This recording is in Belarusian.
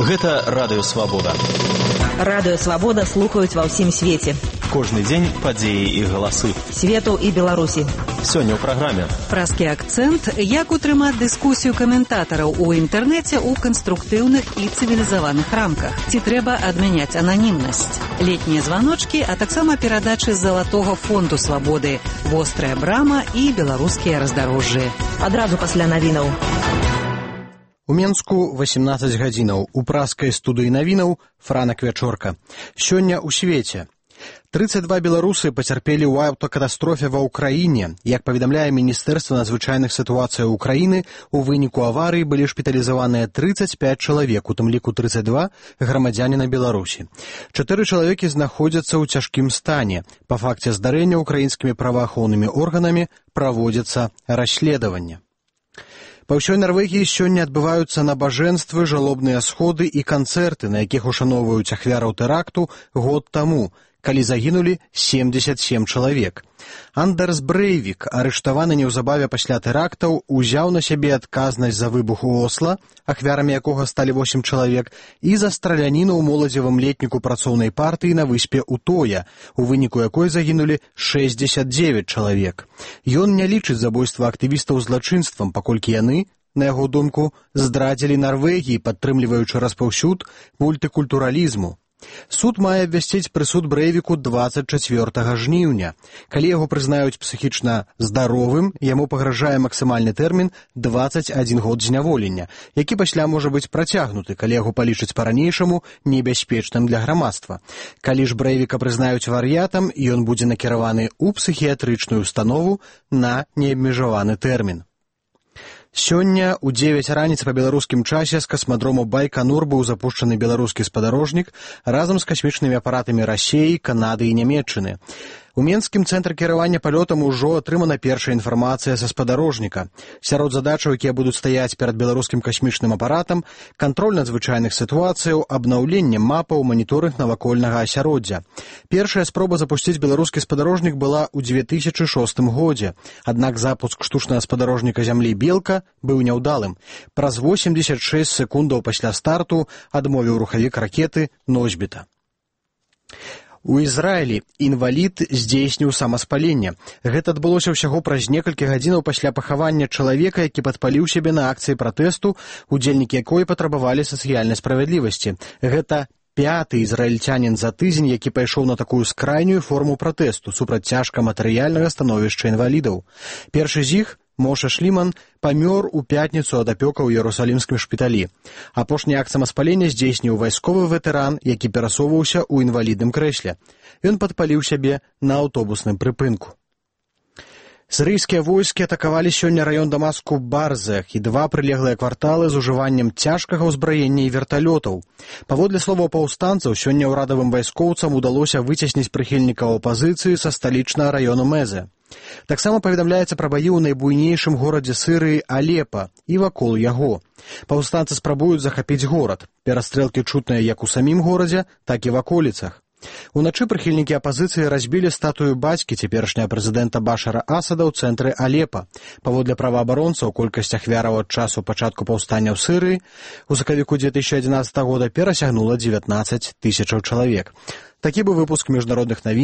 Гэта Радыё Свабода. Радыё Свабода слухаюць ва ўсім свеце. Кожны дзень падзеі і галасы. Свету і Беларусі. Сёння ў праграме. Празкі акцэнт, як утрымаць дыскусію каментатараў у інтэрнэце ў канструктыўных і цывілізаваных рамках. Ці трэба адмяняць ананімнасць. Летнія званочкі, а таксама перадачы з залатога фонду свабоды. Вострая брама і беларускія раздарожжы. Адразу пасля навінаў. У Менску 18 гадзінаў. У празкай студыі навінаў Франак Вячорка. Сёння ў свеце. 32 беларусы пацярпелі ў аўтакатастрофе ва ўкраіне. Як паведамляе Міністэрства надзвычайных сітуацыяў Украіны, у выніку аварыі былі шпіталізаваныя 35 чалавек, у тым ліку 32 грамадзяніна Беларусі. 4 чалавекі знаходзяцца ў цяжкім стане. Па факце здарэння украінскімі праваахоўнымі органамі праводзіцца расследаванне. Па ўсёй Нарвегіі сёння адбываюцца набажэнствы, жалобныя сходы і канцэрты, на якіх ушаноўваюць ахвяраў тэракту год таму, калі загінулі 77 чалавек. Андерс Брэйвік, арыштаваны неўзабаве пасля тэрактаў, узяў на сябе адказнасць за выбух у Осла, ахвярамі якога сталі 8 чалавек, і за страляніну ў моладзевым летніку працоўнай партыі на выспе Утоя, у выніку якой загінулі 69 чалавек. Ён не лічыць забойства актывістаў злачынствам, паколькі яны, на яго думку, здрадзілі Нарвегіі, падтрымліваючы распаўсюд мультыкультуралізму. Суд мае абвясціць прысуд Брэйвіку 24 жніўня. Калі яго прызнаюць псіхічна здаровым, яму пагражае максімальны тэрмін 21 год зняволення, які пасля можа быць працягнуты, калі яго палічаць па-ранейшаму небяспечным для грамадства. Калі ж Брэйвіка прызнаюць вар'ятам, ён будзе накіраваны ў псіхіятрычную установу на неабмежаваны тэрмін. Сёння ў 9 раніцы па беларускім часе з касмадрому Байканур быў запушчаны беларускі спадарожнік разам з касмічнымі апаратамі Расіі, Канады і Нямецчыны. У Менскім цэнтры кіравання палётам ужо атрымана першая інфармацыя са спадарожніка. Сярод задачаў, якія будуць стаяць перад беларускім касмічным апаратам, кантроль надзвычайных сітуацыяў, абнаўленне мапаў, маніторынг навакольнага асяроддзя. Першая спроба запусціць беларускі спадарожнік была ў 2006 годзе. Аднак запуск штучнага спадарожніка зямлі «Белка» быў няўдалым. Праз 86 секундаў пасля старту адмовіў рухавік ракеты «Носьбіта». У Ізраілі інвалід здзейсніў самаспаленне. Гэта адбылося ўсяго праз некалькі гадзінаў пасля пахавання чалавека, які падпаліў сябе на акцыі пратэсту, удзельнікі якой патрабавалі сацыяльнай справядлівасці. Гэта 5-ы ізраільцянін за тыдзень, які пайшоў на такую скрайнюю форму пратэсту супраць цяжка матэрыяльнага становішча інвалідаў. Першы з іх, Моша Шліман, памёр у пятніцу ад апёка ў Іерусалімскім шпіталі. Апошні акт самаспалення здзейсніў вайсковы ветэран, які перасоўваўся ў інвалідным крэсле. Ён падпаліў сябе на аўтобусным прыпынку. Сірыйскія войскі атакавалі сёння раён Дамаску Барзах і 2 прылеглыя кварталы з ужываннем цяжкага ўзбраення і верталётаў. Паводле словаў паўстанцаў, сёння ўрадавым вайскоўцам удалося выцесніць прыхільнікаў апазіцыі са сталічнага раёну Мэзе. Таксама паведамляецца пра баі ў найбуйнейшым горадзе Сірыі Алепа і вакол яго. Паўстанцы спрабуюць захапіць горад. Перастрэлкі чутныя як у самім горадзе, так і в аколіцах. Уначы прыхільнікі апазіцыі разбілі статую бацькі цяперашняга прэзідэнта Башара Асада ў цэнтры Алепа. Паводле праваабаронцаў, колькасць ахвяраў ад часу пачатку паўстання ў Сірыі у сакавіку 2011 года перасягнула 19 000 чалавек. Такі быў выпуск міжнародных навін.